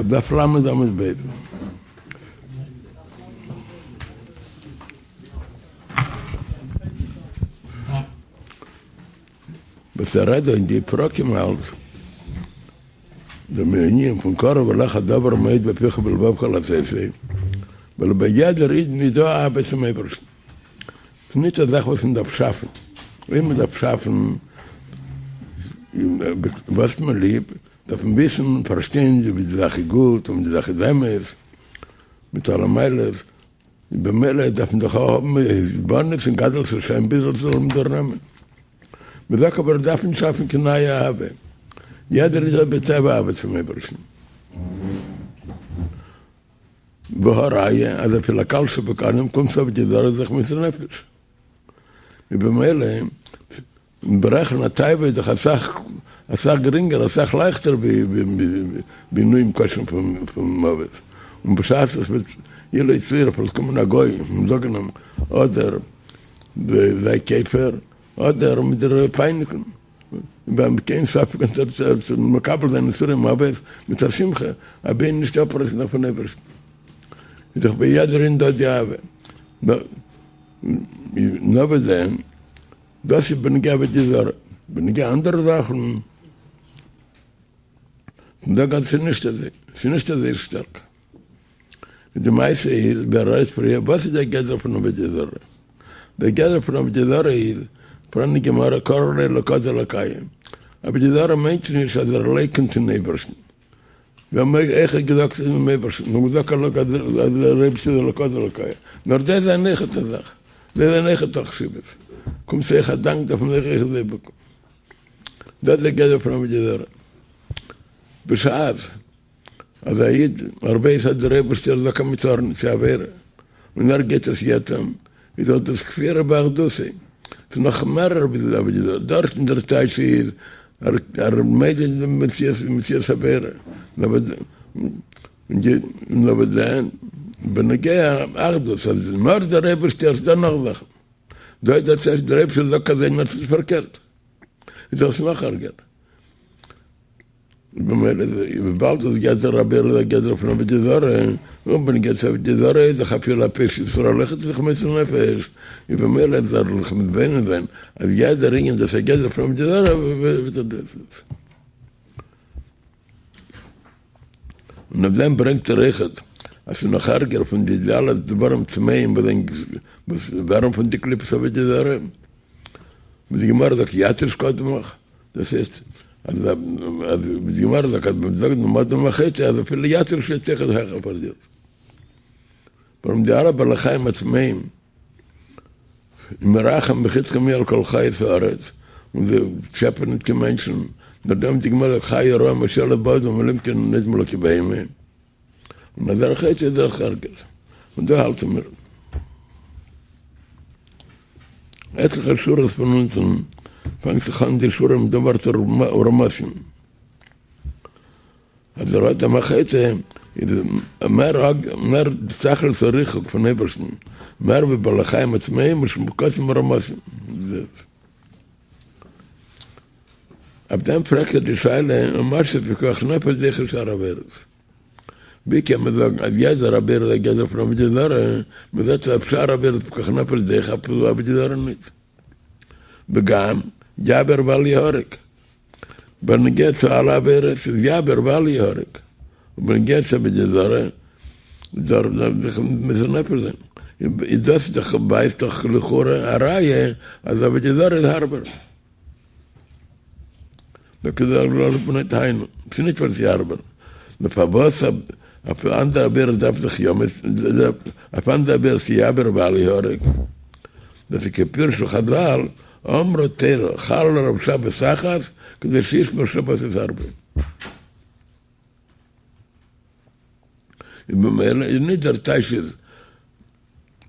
דף ל' עמוד ב'. וואס ער רעדט דא אין די פרקים אלץ דעם ענין פון קרוב אליך הדבר מאוד בפיך ובלבבך לעשותו, ווייל ביי יעדער אידן איז דא אהבה צום אייבערשטן, ס'איז נישט א זאך וואס מען דארף שאפן, אויב מען דארף שאפן וואס האט מען ליב, דארף מען וויסן און פארשטיין ווי די זאך איז גוט און ווי די זאך איז אמת, מיט אלע מעלות, במילא דארף מען דאך האבן התבוננות אין גדלות השם ביז עס זאל אים דערנעמען. מען זאגט אבער דארף נישט שאפן קיין נייע אהבה, יעדער איד האט בטבע אהבה צום אייבערשטן. והא ראיה אז אפילו א קל שבקלים קומט צו עבודה זרה זיך מוסר נפש. ובמילא ברעכן א תאווה איז דאך אסאך אסאך גרינגער אסאך לייכטער ווי עינויים קשים פון מוות, און בשעת עס וועט לו יצוייר פארט קומען א גוי און זאגן אים אדער זיי כופר אדער מ'וועט דיר פייניגן, און קיין ספק אז ער וועט מקבל זיין יסורי מוות מיט א שמחה אבי נישט אפרייסן זיך פון אייבערשטן, איז דאך ביי יעדער איד דא די אהבה, נאר וואס דען? דאס איז בנוגע עבודה זרה, בנוגע אנדערע זאכן זאג אז ס'איז נישט אזוי, ס'איז נישט אזוי שטארק. די מעשה איז, ווי ער רעדט פריער, וואס איז דער גדר פון עבודה זרה? דער גדר פון עבודה זרה איז, פאראן אין גמרא קרי עליה אלקא דאלקיא, עבודה זרה מיינט נישט אז ער לייקענט אין אייבערשטן, זיי האבן אויכעט געזאגט אינעם אייבערשטן, זיי האבן געזאגט אז דער אייבערשטער איז אלקא דאלקיא, נאר זיי זענען אויכעט א זאך, זיי זענען אויכעט א חשיבות, קומט זיי אויך א דאנק דארף מען זיך אויכעט זיי בוקן. דאס איז דער גדר פון עבודה זרה. בשעת אז א איד ער ווייס אז דער אייבערשטער זאגט אז מ'טאר נישט, ס'איז עבירה, און ער גייט עס יא טון, איז דאך דאס כפירה באחדותו, ס'איז נאך מערער ווי די עבודה זרה, דארטן דער טייטש איז ער מודה אין דעם מציאות מציאות העבירה, נאר וואס דען, בנוגע אחדות אז נאר דער אייבערשטער איז דא נאך זאכן, דא איז דער טייטש דער אייבערשטער זאגט אזוי נאר ס'איז פארקערט, איז דאס נאך ארגער. במילא וויבאלד אז גדר העבירה איז א גדר פון עבודה זרה, און בנוגע צו עבודה זרה איז דאך אפילו א פושע ישראל אויכעט זיך מוסר נפש, איז במילא זאל ער זיך מתבונן זיין אז יעדער ענין דאס איז א גדר פון עבודה זרה וועט ער דאס. און אויף דעם ברענגט ער אויכעט אז ס'איז נאך ערגער פון די אלע דברים טמאים וואס ווערן פון די קליפות עבודה זרה, ווי די גמרא זאגט יתיש קדמך. דאס הייסט אז אז די גמרא זאגט אז מען זאגט דעם אדם החוטא אז אפילו יתיש שטייט העכער פאר דיר. ווארום די אלע בעלי חיים הטמאים אם מרחם בחדך מי על כל חיות הארץ, און זיי טשעפען נישט קיין מענטשן, נאר דעם די גמרא זאגט חיה רעה מושלת באדם אלא אם כן נדמה לה כבהמה, און אז ער חוטא איז דאך ערגער. און דא האלטן מיר. עטליכע שורות פון אונטן פאנגט זיך אן די שורה מיט דעם ווארט ורמשים. אז דער אדם החוטא איז מער מער תכלית הריחוק פון אייבערשטן, מער ווי בעלי חיים הטמאים משוקצים ורמשים. אויף דעם פרעגט ער די שאלה, ומה שפיקוח נפש דוחה שאר עבירות. ווי קען מען זאגן אז יעדער עבירה איז א גדר פון עבודה זרה, מען זעט אז שאר עבירות פיקוח נפש דוחה אפילו עבודה זרה ניט. וגם יעבור ואל יהרג. בנוגע צו אלע עבירות איז יעבור ואל יהרג, ובנוגע צו עבודה זרה דארף מען זיך מוסר נפש זיין. איז דאס דאך ווייזט דאך לכאורה א ראיה אז עבודה זרה איז הארבער. היינו, ס'איז נישט ווייל ס'איז הארבער, נאר פארוואס אויף אנדערע עבירות דארף זיך יא אויף אנדערע עבירות איז יעבור ואל יהרג, דאס איז כפירשו חזל, אמרה תורה חל עליו שבת אחת כדי שישמור שבתות הרבה. און במילא איז נישט דער טייטש איז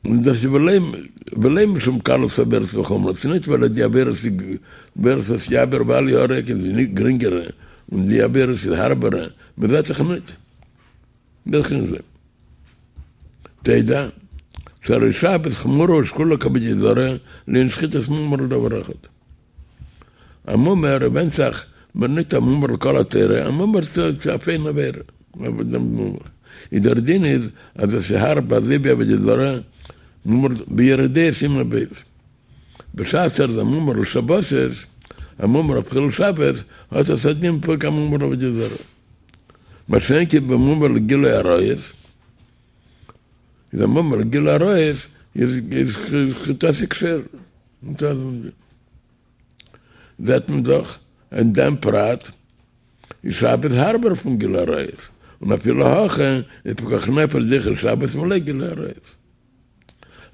און דאס איז ולא משום קלות העבירות וחומרן, ס'איז נישט ווייל די עבירות וואס יעבור ואל יהרג איז נישט גרינגערע און די עבירות איז הארבערע, מ'זעט זיך נישט דאס איז נישט תדע שהרי שבת חמורה ושקולה כעבודה זרה לענין שחיטת מומר לדבר אחד. א מומר ווענדט זיך, מען נישט א מומר לכל התורה, א מומר צו אויף איין עבירה. דעם מומר. איז דער דין איז אז עס איז הארב אזוי ווי עבודה זרה, מומר ביורה דעה סימן ב'. בשעת ער איז א מומר לשבתות, א מומר אויף חילול שבת, האט עס א דין פונקט א מומר לעבודה זרה. מה שאין כן במומר לגילוי עריות, איז א מומר לגילוי עריות איז חטאתי כשרה. זעט מען דאך אין דעם פרט איז שבת הארבער פון גילוי עריות, און אפילו הכי איז פיקוח נפש דוחה שבת מלא גילוי עריות.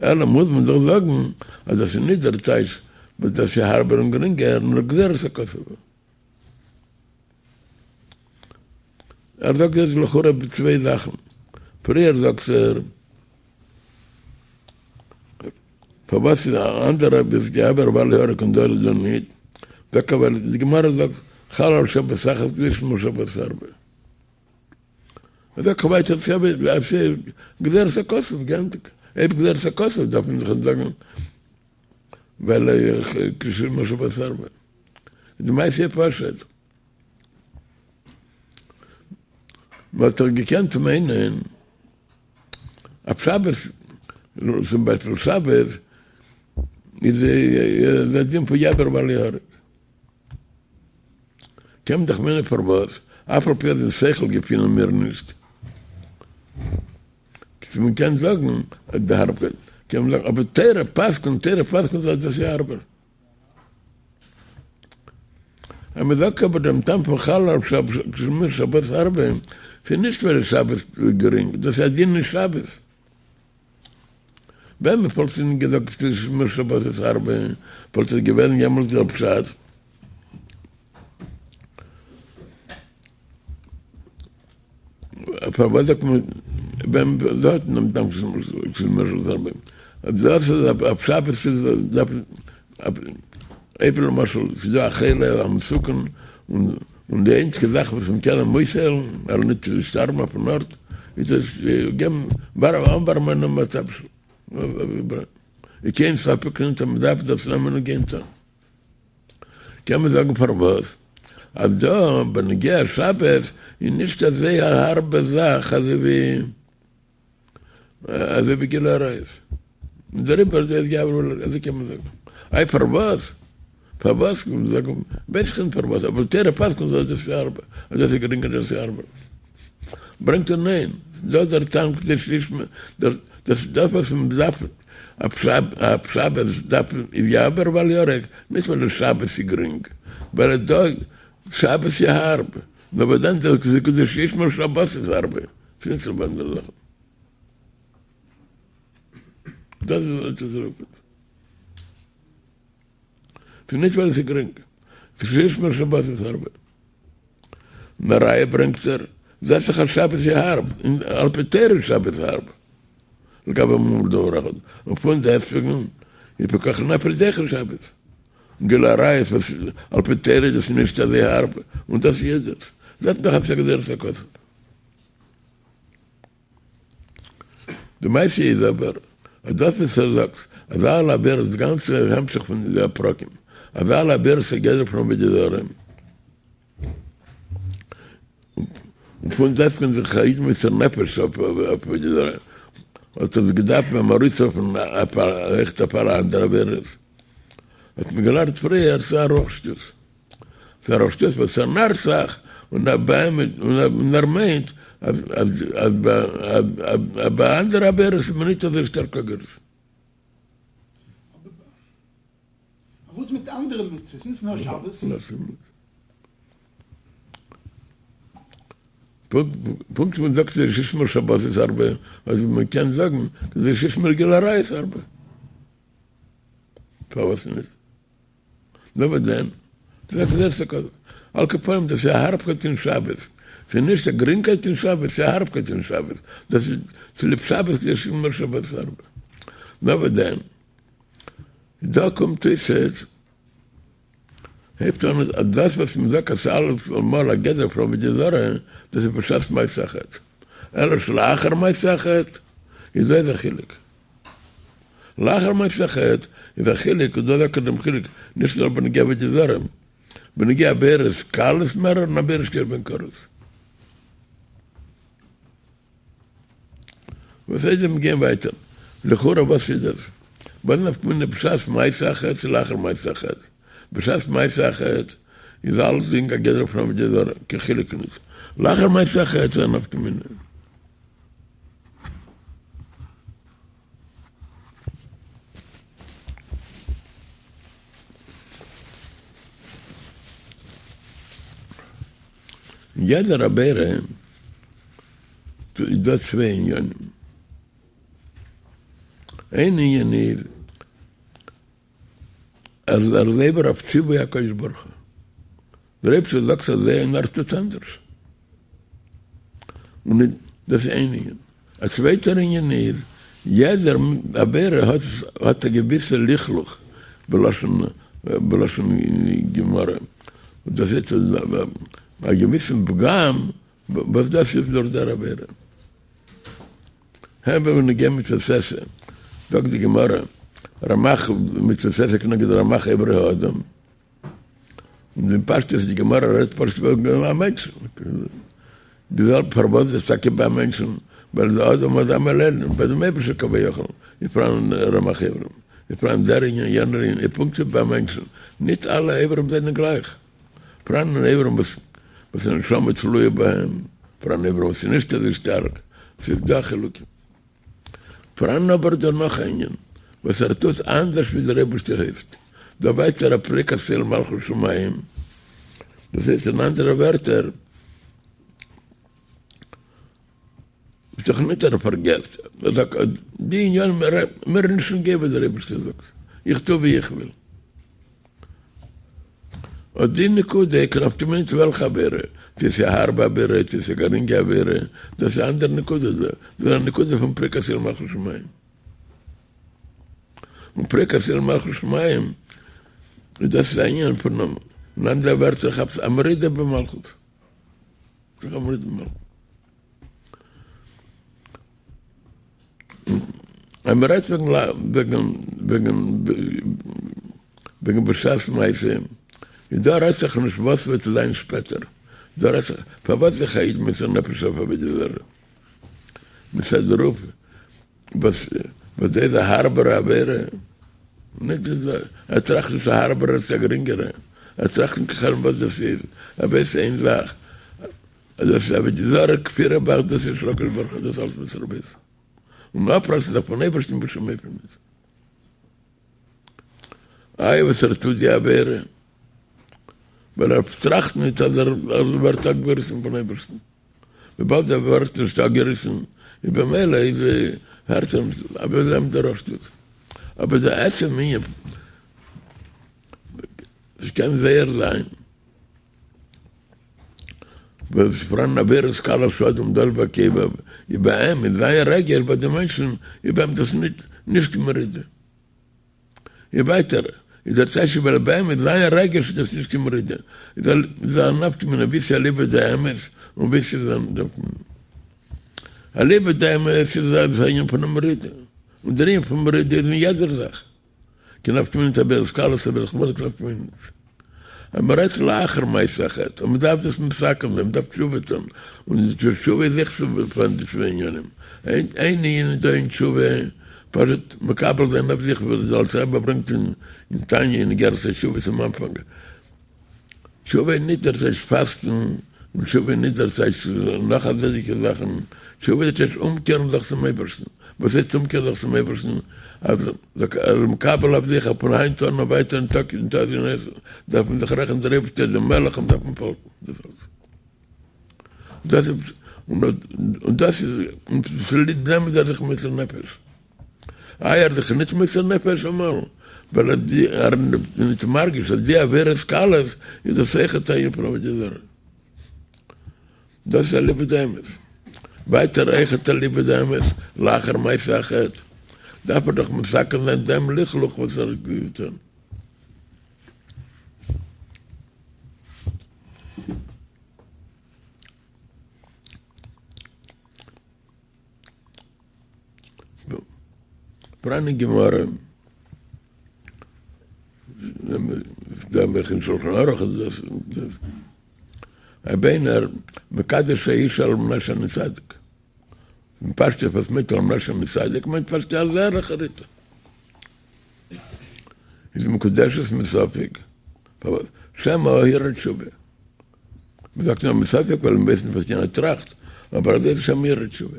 אלא מוז מען דאך זאגן אז דאס איז נישט דער טייטש וואס דאס איז הארבער און גרינגער, נאר גזירת הכתוב. ער זאגט דאס לכאורה צוויי זאכן, פריער זאגט ער פארוואס איז א אנדערע ביז יעבור ואל יהרג און דא איז דא ניט, טאקע ווייל די גמרא זאגט חל על שבת אחת כדי שישמור שבת הרבה. זאגט ער ווייטער ס'איז גזירת הכתוב גענדיגט, אויב גזירת הכתוב דארף מען זיך זאגן ווייל כדי שישמור שבת הרבה. די מעשה איז פשוט. מ'האט דאך געקענט מיינען אויף שבת, צום ביישפיל שבת איז א דין פון יעבור ואל יהרג. קען מען דאך מיינען פארוואס, אף על פי אז אין שכל געפינען מיר נישט. מען קען זאגן די הארבקייט, קען מען זאגן אבער תורה פסק'נט, תורה פסק'נט אז דאס איז הארבער. אז מען זאגט אבער דעם טעם פון חל על שבת הרבה, ס'איז נישט ווייל שבת איז גרינג, דאס איז א דין אין שבת. ווען מען וואלט נישט געזאגט כדי שישמור שבתות הרבה, וואלט עס געווען יעמאלט דער פשט. פארוואס זאגט מען ווען מ'זאגט דעם טעם שישמור שבת הרבה? דאס איז אויף שבת איז דארף אויב למשל ס'איז דא א חולה א מסוכן און די איינציגע זאך וואס מען קען אים אויסהיילן ער זאל נישט שטארבן אויפן ארט איז דאס געבן אנווארעמען אים א תבשיל איז קיין ספק נישט אז מ'דארף דאס נעמען און גיין טון. קען מען זאגן פארוואס אז דא בנוגע שבת איז נישט אזוי א הארבע זאך אזוי ווי אזוי ווי גילוי עריות, און דעריבער איז יעבור, אזוי קען מען זאגן. איי פארוואס? פארוואס קען מען זאגן ווייס איך נישט פארוואס, אבער תורה פסק'נט אז דאס איז הארבער, אז דאס איז גרינגער דאס איז הארבער. ברענגט ער ניין, דא דער טעם כדי שישמור, דאס דאס וואס מען דארף אויף שבת דארף מען איז יעבור ואל יהרג, נישט ווייל שבת איז גרינג, ווייל דא שבת איז הארב, נאר וואס דען דאס איז כדי שישמור שבתות הרבה, ס'איז נישט צו אנדערע זאכן. דאס איז וואס עס רופט. ס'איז נישט ווייל עס איז גרינג, ס'איז שישמור שבתות הרבה. און א ראיה ברענגט ער, זעט זיך אז שבת איז הארב, און על פי תורה איז שבת הארב, לגבי מומר דבר אחד, און פון דעסטוועגן איז פיקוח נפש דוחה שבת, און גילוי עריות וואס על פי תורה איז עס נישט אזוי הארב, און דאס איז עס, זעט מען דאך אז ס'איז א גזירת הכתוב. די מעשה איז אבער אז דאס וואס ער זאגט אז אלע עבירות די גאנצע המשך פון די פרקים אז אלע עבירות איז גדר פון עבודה זרה און פון דעסטוועגן זיך א איד מוסר נפש אויף עבודה זרה האט עס געדארפט אים ארויסרופן אויכעט אויף אלע אנדערע עבירות האט מען געלערנט פריער ס'איז א רוח שטות. ס'איז א רוח שטות וואס ער נארט זיך און און ער מיינט אז אז ביי אנדערע עבירות איז מען נישט אזוי שטארק אגרעסיוו. אבער וואס מיט אנדערע מצוות? נישט נאר שבת. פונקט ווי מ'זאגט כדי שישמור שבתות הרבה, אז מ'קען זאגן כדי שישמור גילוי עריות הרבה. פארוואס נישט? נאר וואס דען? דאס איז ערשטע קודם. על כל פנים דאס איז א הארבקייט אין שבת. ס'איז נישט א גרינגקייט אין שבת, ס'איז א הארבקייט אין שבת. דאס איז צוליב שבת כדי שישמור שבתות הרבה. נאר וואס דען? דא קומט אויס עס הייבט אן אז דאס וואס מ'זאגט אז ס'איז אלעמאל א גדר פון עבודה זרה, דאס איז בשעת מעשה החטא. אלא שלאחר מעשה החטא איז דא איז א חילוק. לאחר מעשה החטא איז א חילוק און דא זאגט ער דעם חילוק נישט נאר בנוגע עבודה זרה, בנוגע עבירות קלות מער און עבירות שיש בהן כרת. וואס הייסט מיר גייען ווייטער? לכאורה וואס איז דאס? וואס נפקא מינה בשעת מעשה החטא צו לאחר מעשה החטא? בשעת מעשה החטא איז אלסדינג א גדר פון עבודה זרה, קיין חילוק נישט. לאחר מעשה החטא איז א נפקא מינה. אין יעדער עבירה איז דא צוויי עניינים. איין ענין איז אז ער איז עובר אויף ציווי הקדוש ברוך הוא. דער אייבערשטער זאגט אזוי און ער טוט אנדערש. און דאס איז איין ענין. א צווייטער ענין איז, יעדער עבירה האט האט א געוויסע לכלוך, בלשון בלשון גמרא, דאס הייסט א געוויסן פגם וואס דאס איז דורך דער עבירה. הן בנוגע מצות עשה, זאגט די גמרא, רמ"ח מצות עשה כנגד רמ"ח אברי האדם, און אין פשטות די גמרא רעדט פשוט וועגן א מענטש, די זעלבע פארוואס איז טאקע ביי מענטשן, ווייל די אדם אדמה לעליון, ביי דעם אייבערשטער כביכול איז פאראן רמ"ח איברים, איז פאראן דער ענין יענער ענין, איז פונקט ווי ביי מענטשן, ניט אלע איברים זענען גלייך, פאראן איברים וואס וואס נשמה תלויה בהם, פאראן איברים וואס איז נישט אזוי שטארק, ס'איז דא חילוקים. פאראן אבער דא נאך א ענין וואס ער טוט אנדערש ווי דער אייבערשטער הייסט, דא ווייטער א פריקת עול מלכות שמים, דאס הייסט אין אנדערע ווערטער, איז דאך ניט ער פארגעסט, ער זאגט אז די עניינים מיר נישט נוגע וואס דער אייבערשטער זאגט, איך טו ווי איך וויל. אט די נקודה קיין נפקא מינה ניט וועלכע עבירה, צו ס'איז א הארבע עבירה צו ס'איז א גרינגע עבירה, דאס איז א אנדערע נקודה דא, דאס איז א נקודה פון פריקת עול מלכות שמים. און פריקת עול מלכות שמים איז דאס איז א ענין פון אין אנדערע ווערטער כאפסט א מרידה במלכות. א מרידה במלכות. אז מען רעדט וועגן וועגן וועגן בשעת מעשה, איז דא רעדט זיך נישט וואס וועט זיין שפעטער, דא רעדט זיך פארוואס זיך א איד מוסר נפש אויף עבודה זרה, מצד דערויף וואס וואס דאס איז א הארבערע עבירה, נישט ער טראכט נישט א הארבערע צו א גרינגערע, ער טראכט נישט קיין חשבון וואס דאס איז, ער ווייסט איין זאך. אז דאס איז עבודה זרה כפירה באחדותו של הקדוש ברוך הוא דאס אלץ וואס ער ווייס און אפרייסן זיך פון אייבערשטן בשום אופן נישט. איי וואס ער טוט די עבירה ווייל ער טראכט נישט אז ער ווערט אפגעריסן פון אייבערשטן, וויבאלד ער ווערט נישט אפגעריסן איז במילא איז הערט ער נישט אבער זיי האבן דער שטות אבער די עצם ענין עס קען זייער זיין. וואס פאראן עבירות קלות שאדם דש בעקביו, איז ביי אים אין זיין רגש ביי די מענטשן איז ביי אים דאס נישט נישט קיין מרידה. איז ווייטער איז דער טייטש ווייל ביי אים אין זיין רגש איז דאס נישט קיין מרידה, איז א נפקא מינה ווי ס'איז אליבא דאמת און ווי ס'איז אליבא דאמת איז א ענין פון א מרידה, און דער ענין פון מרידה איז אין יעדער זאך. קיין נפקא מינה ניט עבירות קלות עבירות חמורות קיין נפקא מינה ניט. אז מען רעדט לאחר מעשה החטא און מען דארף דאס מתקן זיין, מען דארף תשובה טון, און די תשובה איז אויך פון די צוויי ענינים, איין ענין איז דא אין תשובה, פשוט מקבל זיין אויף זיך ווי דער אלטער רבי ברענגט אין תניא אין אגרת התשובה צום אנפאנג, תשובה איז ניט דער טייטש פאסטן, און תשובה איז ניט דער טייטש נאך אזעלכע זאכן, תשובה איז דער טייטש אומקערן זיך צום אייבערשטן, וואס הייסט אומקערן זיך צום אייבערשטן? אז ער איז מקבל אויף זיך אז פון היינט אן און ווייטער אין טאג אין טאג אויס דארף מען זיך רעכענען דער אייבערשטער איז דער מלך און דארף מען פאלגן, דאס אלס. דאס איז און דאס איז און צוליב דעם איז ער זיך מוסר נפש. איי ער איז זיך ניט מוסר נפש אמאל, ווייל ער איז ניט מרגיש אז די עבירות קלות איז דאס אויכעט א ענין פון עבודה זרה. דאס איז אליבא דאמת. ווייטער אויכעט אליבא דאמת לאחר מעשה החטא דארף ער דאך מתקן זיין דעם לכלוך וואס ער האט געטון. פאראן אין גמרא, דא אויך אין שלחן ערוך איז דאס, אויב איינער מקדש אשה על מנת שאני צדיק. אין פשטות וואס מיינט למשל מצדיק מיינט פשטות אז ערליכער איד איז מקודשת מספק פארוואס שמא הרהר תשובה מ'זאגט נאר מספק ווייל מ'ווייסט נישט וואס יענער טראכט אבער אזוי איז שמא הרהר תשובה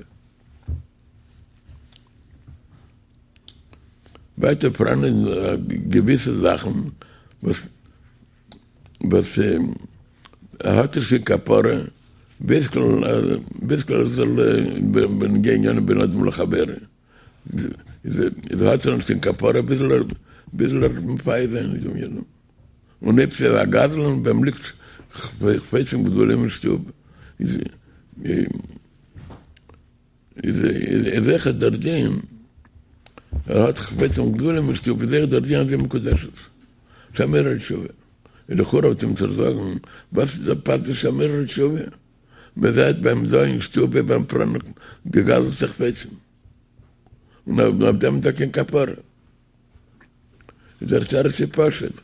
ווייטער פאראן געוויסע זאכן וואס וואס האט נישט קיין כפרה, בדרך כלל בנוגע ענינים בין אדם לחבירו, איז האט ער נישט קיין כפרה ביז ער וועט מפייס זיין מיט דעם יענעם, און אויב ס'איז א גזלן ביי אים ליגט חפצים גדולים אין שטוב, איז אויכעט דער דין, ער האט חפצים גדולים אין שטוב, איז אויכעט דער דין אז זי מקודשת. שמא הרהר תשובה. איז לכאורה וועט עמיצער זאגן, וואס איז דער פשט שמא הרהר תשובה? מען זעט ביי אים דא אין שטוב ווי ביי אים פאראן געגזלטע חפצים. און אויף דעם איז דא קיין כפרה. איז דער תירוץ איז פשוט.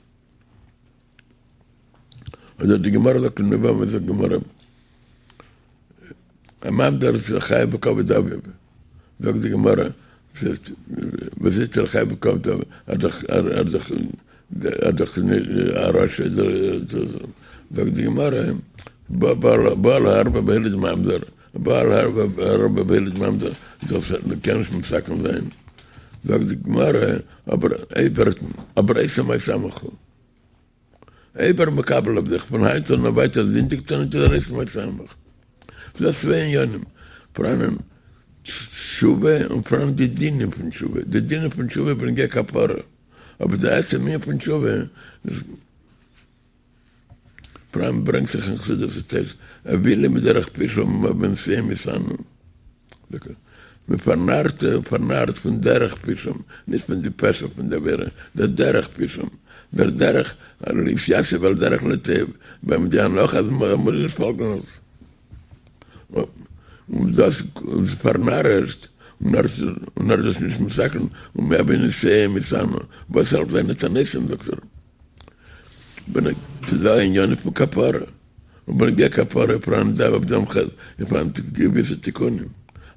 אדער די גמרא זאגט אין יבמות זאגט גמרא א ממזר איז חייב בכבוד אביו זאגט די גמרא וואס איז ער חייב בכבוד אביו ער דאך ער דאך ער דאך א רשע זאגט די גמרא בא על הערוה והוליד ממזר בא על הערוה והוליד ממזר דאס קען נישט מתקן זיין זאגט די גמרא אבער אבער עושה מעשה עמך הוא אויב ער מקבל אויף זיך פון היינט אן און ווייטער זינדיגט ער נישט איז ער עושה מעשה עמך. ס'איז דא צוויי עניינים, פאראנען תשובה און פאראנען די דינים פון תשובה, די דינים פון תשובה בנוגע כפרה, אבער די עצם ענין פון תשובה פאראן ברענגט זיך אין חסידות ס'טייטש אוילים מדרך פשעם ועונותיהם יתענו. מען פארנארט, פארנארט פון דרך פשעם, נישט פון די פשע פון די עבירה, דער דרך פשעם, דער דרך להתיישב על דרך לא טוב, ביי אים די הנחה אז מען מוז נישט פאלגן עס. און דאס איז פארנארעשט, און ער און ער איז עס נישט מתקן, ומעונותיהם יתענו, וואס העלפט זיינע תעניתים זאגט ער. ס'איז דא ענינים פון כפרה, און בנוגע כפרה פאראן דא אויף דעם חטא איז פאראן געוויסע תיקונים,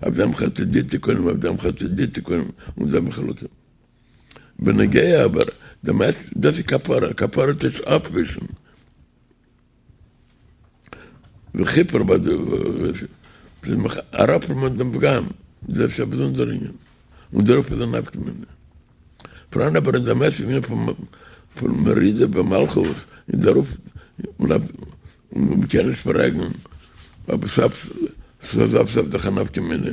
אויף דעם חטא די תיקונים, אויף דעם חטא די תיקונים, און זעלבע חילוקים. בנוגע אבער דעם עצם, דאס איז כפרה, כפרה טייטש אפווישן. וכיפר ביי די ס'איז מיך אראפנעמען דעם פגם, דאס איז א באזונדער ענין, און דערויף איז א נפקא מינה. פאראן אבער אין דעם עצם ענין פון מרידה במלכות, און דערויף און מ'קען נישט פרעגן, אבער סוף סוף סוף דאך א נפקא מינה.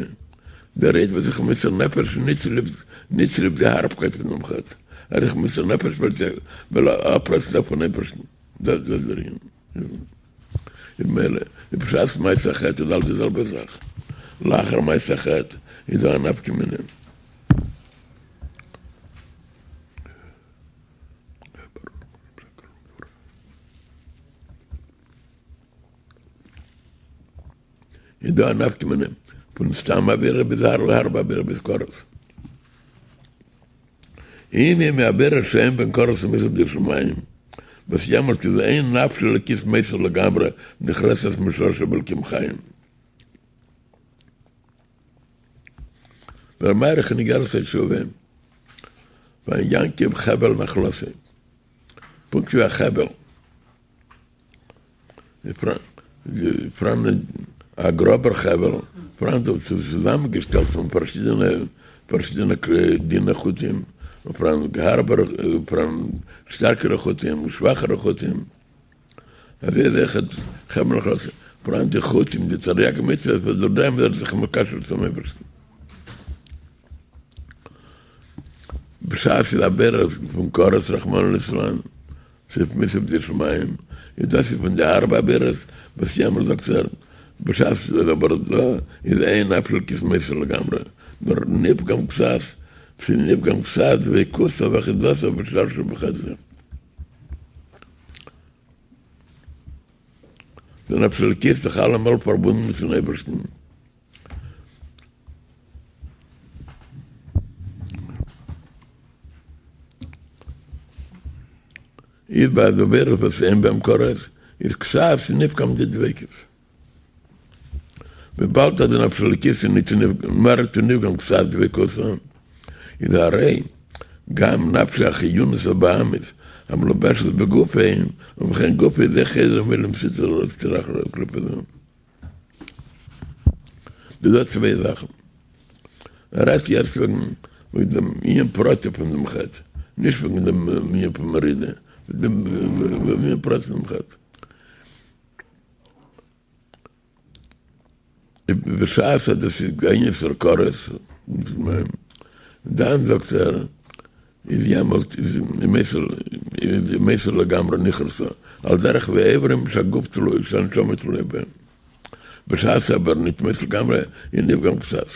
דער איד וואס זיך מוסר נפש נישט צוליב נישט צוליב די הארבקייט פונעם חטא, ער איז זיך מוסר נפש ווייל ער אפרייסן פון אייבערשטן. דאס איז דער ענין. איז מילא, די בשעת מעשה החטא איז אלץ די זעלבע זאך. לאחר מעשה החטא איז דא א נפקא מינה. איז דא א נפקא מינה פון סתם עבירה ביז הארבע עבירה ביז כרת. אם היא מעבירה שאין בהן כרת ומיתה בידי שמים, וואס יעמאלט איז אין נפש אלוקית מתה לגמרי נחרצת משורשה באלקים חיים. דער מאריך אין אגרת התשובה ויען יעקב חבל נחלתו, פונקט ווי א חבל. פֿאַראַן אַ גראָבער חבֿל, פֿאַראַן דאָ צוזאַמענגעשטעלט פֿון פֿאַרשידענע, פֿאַרשידענע דינע חוטים, און פֿאַראַן האַרבערע, פֿאַראַן שטאַרקערע חוטים, שוואַכערע חוטים. אַזוי איז אויך חבֿל נחלתו. פֿאַראַן די חוטים, די תרי"ג מצוות, וואָס דורך דעם איז ער זיך מקשר צום אייבערשטן. בשעת ס'איז עבירה פון כרת רחמנא ליצלן, ס'איז מיתה בידי שמים, איז דאס איז פון די הארבע עבירות וואס יעמאלט זאגט ער, בשעת ס'איז אבער דא איז אין נפש אלקית מתה לגמרי, נאר נפגם קצת, ס'איז נפגם קצת דביקותו ואחיזתו ושרשו בחטא זה. די נפש אלקית איז דאך אלעמאל פארבונדן מיט'ן אייבערשטן. איז ביי די עבירות וואס אין בהם כרת איז קצת נפגם די דביקות. וויבאלד אז די נפש אלוקית איז ניט מער ניט ווי נפגם קצת דביקותא, איז הרי גם נפשו החיונית הבהמית המלובשת בגופו, ובכן גופו איז אויך חוזר ממילא עם סטרא אחרא וקליפה זו. דאס זענען צוויי זאכן. ער רעדט יעצט וועגן וועגן דעם ענין פרטי פון דעם חטא, נישט וועגן דעם ענין פון מרידה, דעם ענין פרטי פון דעם חטא. בשעת אז דאס איז אן ענין של כרת, דאן זאגט ער, איז יעמאלט איז מתה לגמרי נכרתה, על דרך ווי אברים שהגוף תלוי, שהנשמה תלויה בהם. בשעת אבער ניט מתה לגמרי איז נפגם קצת.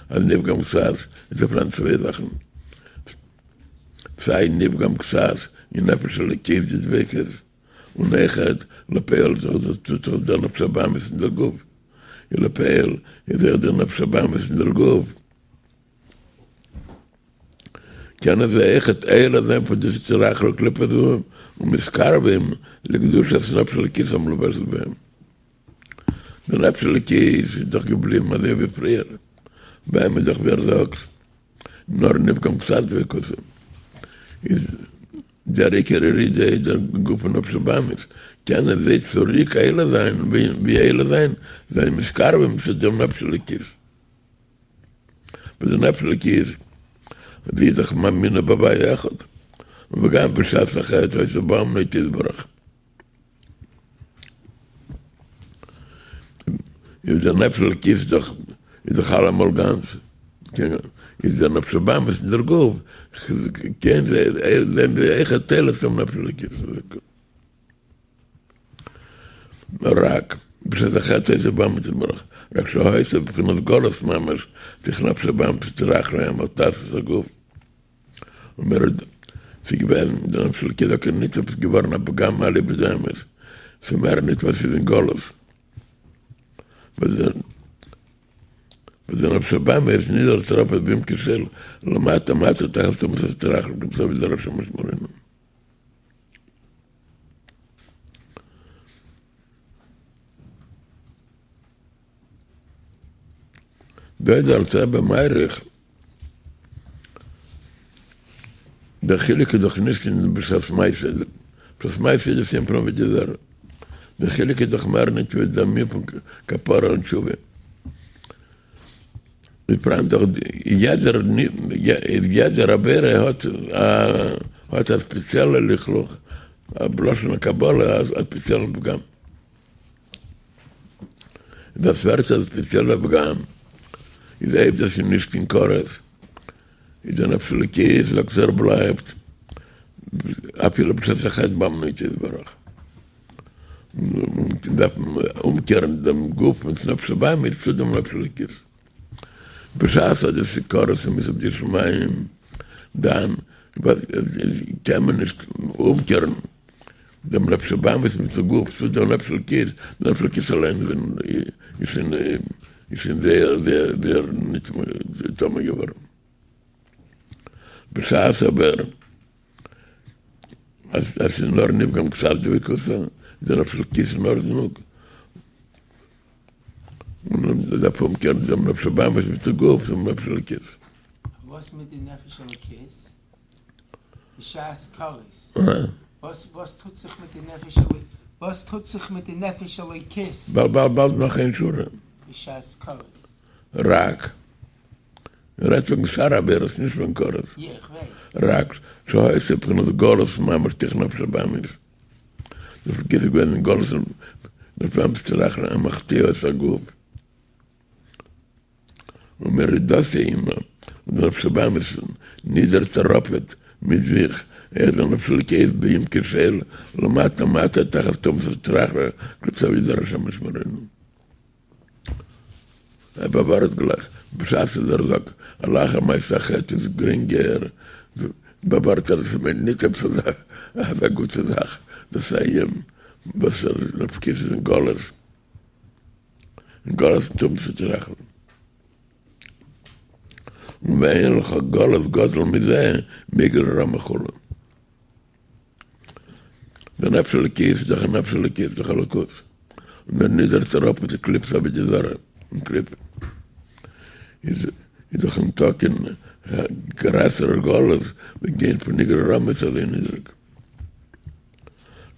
אז נפגם קצת איז דא פאראן צוויי זאכן, סיי נפגם קצת אין נפש אלוקית די דביקות, און אויכעט לפועל זיך דאס טוט זיך דער נפש הבהמית אין דער גוף, און לפועל איז אויך דער נפש הבהמית אין דער גוף. קענען זיי אויכעט עולה זיין פון די סטרא אחרא וקליפה זו ומתקרבים לקדושת נפש אלוקית המלובשת בהם. די נפש אלוקית איז דאך געבליבן אזוי ווי פריער, ביי אים איז דאך ווי ער זאגט נאר נפגם קצת דביקותא איז דער עיקר ירידה איז דער גוף און נפש הבהמית, קענען זיי צוריק עולה זיין ווי עולה זיין זיין מתקרבים צו דעם נפש אלוקית. וואס די נפש אלוקית זי איז דאך מאמינה בהוויה אחד, וגם בשעת החטא היתה באמנה אתו יתברך. איז דער נפש אלוקית איז דאך איז דאך אלעמאל גאנץ, איז דער נפש הבהמית אין דער גוף, קען זיי זענען זיי אויכעט עולה צום נפש אלוקית. רק בשעת החטא היתה באמנה אתו יתברך, רק שהיתה בבחינת גלות ממש, תוך נפש הבהמית וסטרא אחרא המתעש את הגוף. און מיר האט ס'איז געווען די נפש אלוקית דוקא ניט עפעס געווארן א פגם אליבא דאמת, ס'איז מער ניט וואס ס'איז אין גלות. וואס די נפש הבהמית איז נידערט אראפ בעמקו של למטה מטה תחת טומאת הסטרא אחרא וקליפת עבודה זרה השם ישמרינו. דא איז דער אלטער רבי מאריך, דער חילוק איז דאך נישט אין בשעת מעשה, בשעת מעשה איז דאס ענין פון עבודה זרה, דער חילוק איז דאך מער נישט ווי דער ענין פון כפרה און תשובה. איז פאראן דאך יעדער יעדער עבירה האט האט א ספעציעלע לכלוך, בלשון הקבלה א ספעציעלן פגם. דאס ווערט א ספעציעלע פגם איז אויב דאס איז נישט קיין כרת איז די נפש אלוקית זאגט ער בלייבט אפילו בשעת החטא באמנה אתו יתברך. און דארף אומקערן דעם גוף מיט נפש הבהמית צו דעם נפש אלוקית. בשעת אז עס איז כרת ומיתה בידי שמים, דאן קען מען נישט אומקערן דעם נפש הבהמית מיטן גוף צו דעם נפש אלוקית, דער נפש אלוקית אליין איז שוין איז שוין זייער זייער זייער נטמא געווארן. בשעת אבער אז עס איז נאר נפגם קצת דביקותא, איז דער נפש אלוקית אין ארדענונג, און מען דארף אומקערן דעם נפש הבהמית מיטן גוף צום נפש אלוקית. וואס מיט די נפש אלוקית? בשעת כרת? וואס וואס טוט זיך מיט די נפש אלוקית? וואס טוט זיך מיט די נפש אלוקית? באלד באלד באלד נאך איין שורה. בשעת כרת. רק. רעדט וועגן שאר עבירות נישט וועגן כרת. יא איך ווייס. רק שהיתה בבחינת גלות ממש תוך נפש הבהמית. נפש אלוקית איז געווען אין גלות נפש הבהמית וסטרא אחרא המחטיאה את הגוף. ומרידתו עמה און די נפש הבהמית נידערט אראפעט מיט זיך אויך די נפש אלוקית בעמקו של למטה מטה תחת טומאת הסטרא אחרא וקליפת עבודה זרה השם ישמרינו. ער באווארנט גלייך בשעת אז ער זאגט אז לאחר מעשה החטא איז גרינגער, באווארנט ער עס מיינט נישט עפעס אזא גוטע זאך, דאס איז א ענין וואס דער נפש אלוקית איז אין גלות, אין גלות טומאת הסטרא אחרא. ואין לך גלות גדול מזה מאיגרא רמא כו'. דער נפש אלוקית איז דאך א נפש אלוקית, דאך אלוקות. און ער נידערט אראפ צו קליפת עבודה זרה און קליפה איז איז דאך ניטא קיין גרעסערע גלות ווי גיין פון איגרא רמא צו אזוי נידריג.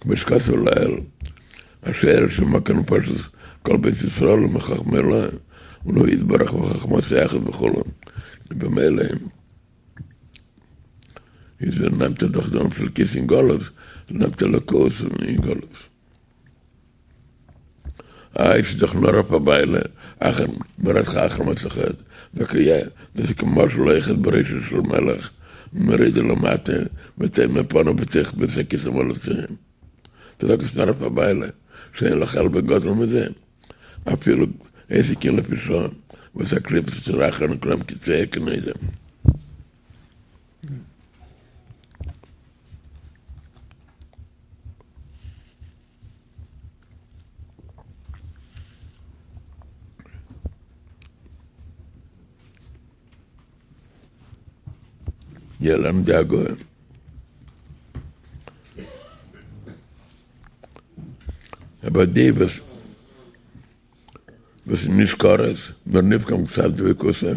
כמו שכתוב לעיל, השורש ומקור נפשות כל בית ישראל הוא מחכמה עילאה, און הוא יתברך וחכמתו אחת וכו', ובמילא איז ער נעמט ער דאך דעם נפש אלקית אין גלות, נעמט אלוקות אין גלות. איי ס'איז דאך נאר אויף א וויילע, אחר מ'רעדט זיך אחר מעשה חטא, זאגט ער יא, דאס איז כמשל האוחז בראשו של מלך ומורידו למטה וטומן פניו בתוך בית הכסא מעל התהום. דו זאגסט נאר אויף א וויילע, שאין לך עלבון גדול מזה, אפילו עסק כן לפי שעה, וואס הקליפות סטרא אחרא נקראים כצואה כנודם. יעלם די הגהה. אבער די וואס וואס איז נישט כרת, נאר נפגם קצת דביקותא,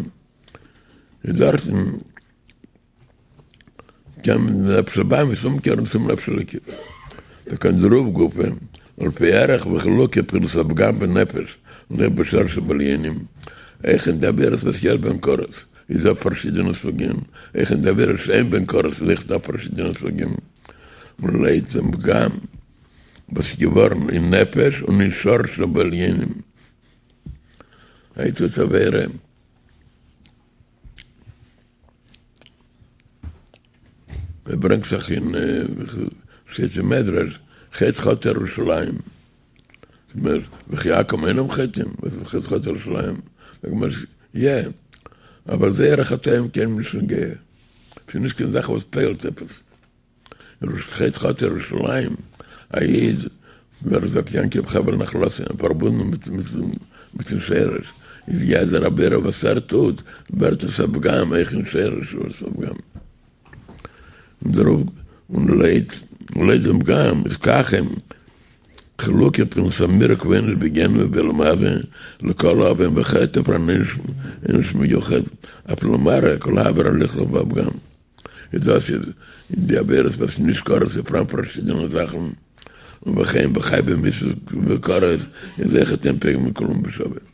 איז דארטן קען מען די נפש הבהמית אומקערן צום נפש אלוקית. וכעין דערויף גופא, ולפי ערך וחילוקי בחינת הפגם בנפש און אויך בשורש שבעליונים, אויך אין די עבירות וואס יש בהן כרת איז דא פארשידענע סוגים, אויך אין די עבירות שאין בהן כרת איז אויך דא פארשידענע סוגים, און לויט דעם פגם וואס איז געווארן אין נפש און אין שורש שבעליונים. הייסט עס עבירה. ער ברענגט זיך אין שטייט אין מדרש חטא חטאה ירושלים וכי עכו"ם אינם חוטאים וואס איז חטא חטאה ירושלים זאגט מען יא אבער זייערע חטאים קיינעם נישט נוגע ס'איז נישט קיין זאך וואס פועל'ט עפעס חטא חטאה ירושלים א איד ווי ער זאגט יעקב חבל נחלתו פארבונדן מיטן שרש איז יעדער עבירה וואס ער טוט ווערט עס א פגם אויך אין שרש ווערט עס א פגם און דערויף און לויט לויט דעם פגם איז כך הם חילוקי בחינת המירוק ועונש בגיהנם ובעולם הזה לכל עוון וחטא פאראן עונש מיוחד אף למראה כל העבירה לכלוך והפגם. איז דאס איז אין די עבירות וואס נישט כרת איז פאראן פארשידענע זאכן, און וכן בחייבי מיתות וכרת איז אויכעט אין פוגמין כולם בשווה.